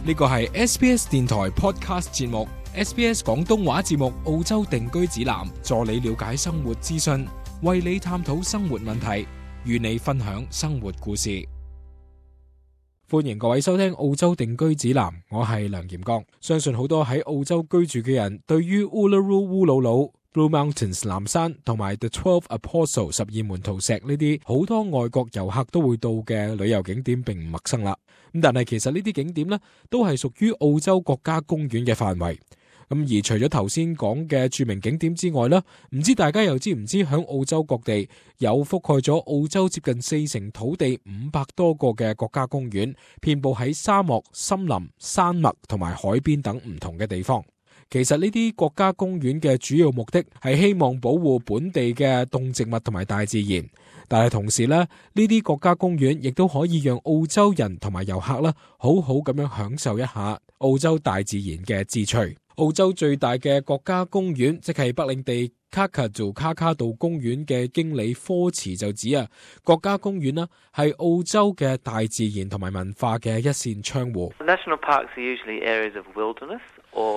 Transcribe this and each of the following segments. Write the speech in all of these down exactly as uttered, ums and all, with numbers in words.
呢個係 S B S 電台 Podcast 節目 S B S 廣東話節目澳洲定居指南，助你了解生活資訊，為你探討生活問題，與你分享生活故事。歡迎各位收聽澳洲定居指南，我係梁炎剛。相信好多喺澳洲居住嘅人對於 Uluru烏魯魯、Blue Mountains 藍山同埋 The Twelve Apostles 十二門徒石呢啲好多外國遊客都會到嘅旅遊景點並唔陌生啦。咁但係其實呢啲景點呢都係屬於澳洲國家公園嘅範圍。咁而除咗頭先講嘅著名景點之外呢，唔知大家又知唔知響澳洲各地有覆蓋咗澳洲接近四成土地五百多個嘅國家公園，遍佈喺沙漠、森林、山脈同埋海邊等唔同嘅地方。其實呢啲國家公園嘅主要目的係希望保護本地嘅動植物同埋大自然，但係同時咧，呢啲國家公園亦都可以讓澳洲人同埋遊客咧好好咁樣享受一下澳洲大自然嘅志趣。澳洲最大嘅國家公園，即係北領地卡卡杜卡卡杜公園嘅經理科茨就指啊，國家公園啦係澳洲嘅大自然同埋文化嘅一扇窗戶。National parks are usually areas of wilderness.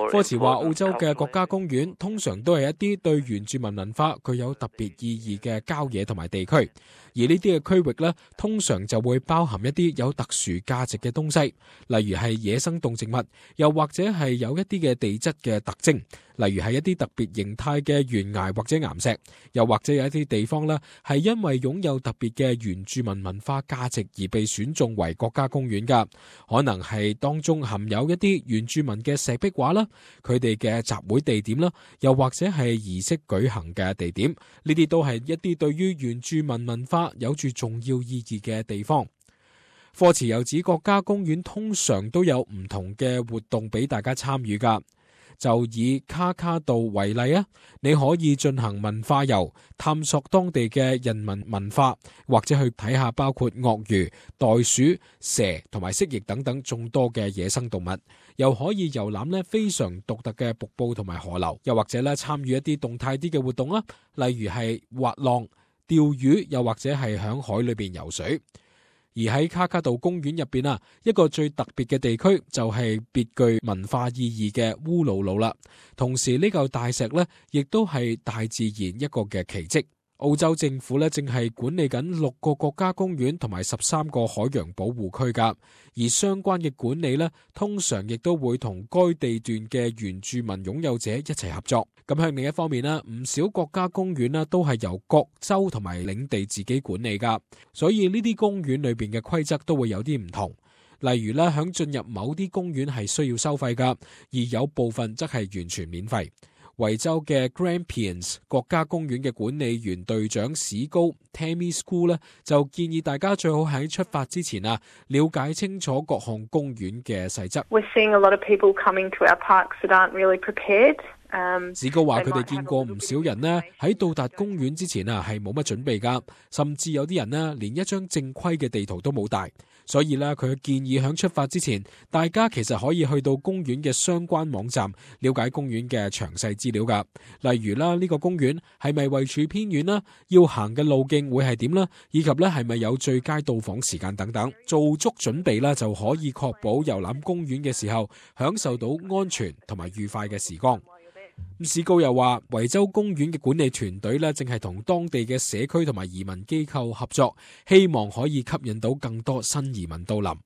科茨話澳洲嘅國家公園通常都係一啲對原住民文化具有特別意義嘅郊野同埋地區，而呢啲嘅區域呢，通常就會包含一啲有特殊價值嘅東西，例如係野生動植物，又或者係有一啲嘅地質嘅特徵，例如係一啲特別形態嘅懸崖或者岩石，又或者有一啲地方呢，係因為擁有特別嘅原住民文化價值而被選中為國家公園㗎，可能係當中含有一啲原住民嘅石壁畫啦，佢哋嘅集會地點啦，又或者係儀式舉行嘅地點，呢啲都係一啲對於原住民文化有住重要意義嘅地方。科茨又指國家公園通常都有唔同嘅活動俾大家參與㗎。就以卡卡杜為例啊，你可以進行文化遊，探索當地嘅人民文化，或者去睇下包括鱷魚、袋鼠、蛇同埋蜥蜴等等眾多嘅野生動物，又可以遊覽呢非常獨特嘅瀑布同埋河流，又或者咧參與一啲動態啲嘅活動啦，例如係滑浪、釣魚，又或者係響海裏邊游水。而喺卡卡杜公園入邊啊，一個最特別嘅地區就係別具文化意義嘅烏魯魯啦。同時呢嚿大石呢，亦都係大自然一個嘅奇蹟。澳洲政府呢，正係管理緊六個國家公園同埋十三個海洋保護區噶，而相關嘅管理呢，通常亦都會同該地段嘅原住民擁有者一齊合作。咁向另一方面呢，唔少國家公園呢，都係由各州同埋領地自己管理噶，所以呢啲公園裏邊嘅規則都會有啲唔同。例如呢，響進入某啲公園係需要收費噶，而有部分則係完全免費。維州嘅 Grampians 國家公園嘅管理員隊長史高 Tammy School 咧，就建議大家最好喺出發之前啊，了解清楚各項公園嘅細則。We're seeing a lot of people coming to our parks that aren't really prepared. 史高話佢哋見過唔少人呢喺到達公園之前啊係冇乜準備噶，甚至有啲人呢連一張正規嘅地圖都冇帶，所以呢佢建議喺出發之前，大家其實可以去到公園嘅相關網站了解公園嘅詳細資料噶，例如啦呢個公園係咪位處偏遠啦，要行嘅路徑會係點啦，以及呢係咪有最佳到訪時間等等，做足準備啦就可以確保遊覽公園嘅時候享受到安全同埋愉快嘅時光。史高又話，維州公園嘅管理團隊咧，正係同當地嘅社區同埋移民機構合作，希望可以吸引到更多新移民到臨。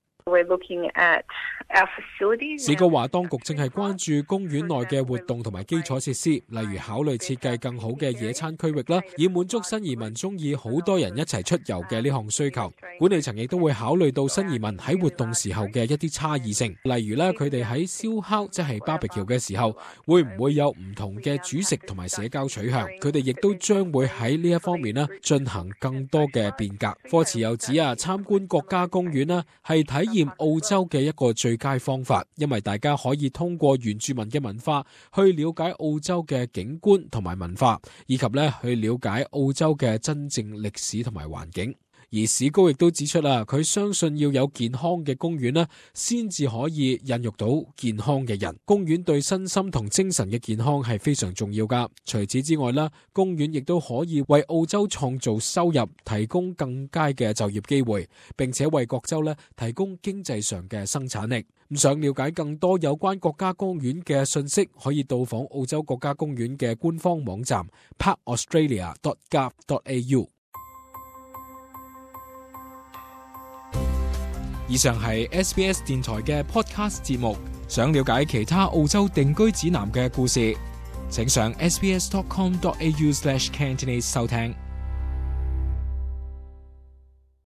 史高話，當局正係關注公園內嘅活動同埋基礎設施，例如考慮設計更好嘅野餐區域啦，以滿足新移民中意好多人一齊出遊嘅呢項需求。管理層亦都會考慮到新移民喺活動時候嘅一啲差異性，例如咧佢哋喺燒烤即係 barbecue 嘅時候，會唔會有唔同嘅煮食同埋社交取向？佢哋亦都將會喺呢一方面咧進行更多嘅變革。科茨又指啊，參觀國家公園啦係體驗澳洲嘅一個最佳方法，因為大家可以通過原住民嘅文化去了解澳洲嘅景觀同埋文化，以及咧去了解澳洲嘅真正歷史同埋環境。而史高亦都指出啦，佢相信要有健康嘅公園啦，先至可以孕育到健康嘅人。公園對身心同精神嘅健康係非常重要噶。除此之外啦，公園亦都可以為澳洲創造收入，提供更佳嘅就業機會，並且為各州咧提供經濟上嘅生產力。咁想了解更多有關國家公園嘅信息，可以到訪澳洲國家公園嘅官方網站 park australia dot gov dot a u。以上係 S B S 電台嘅 podcast 節目。想了解其他澳洲定居指南嘅故事，請上 s b s dot com dot a u slash cantonese 收聽。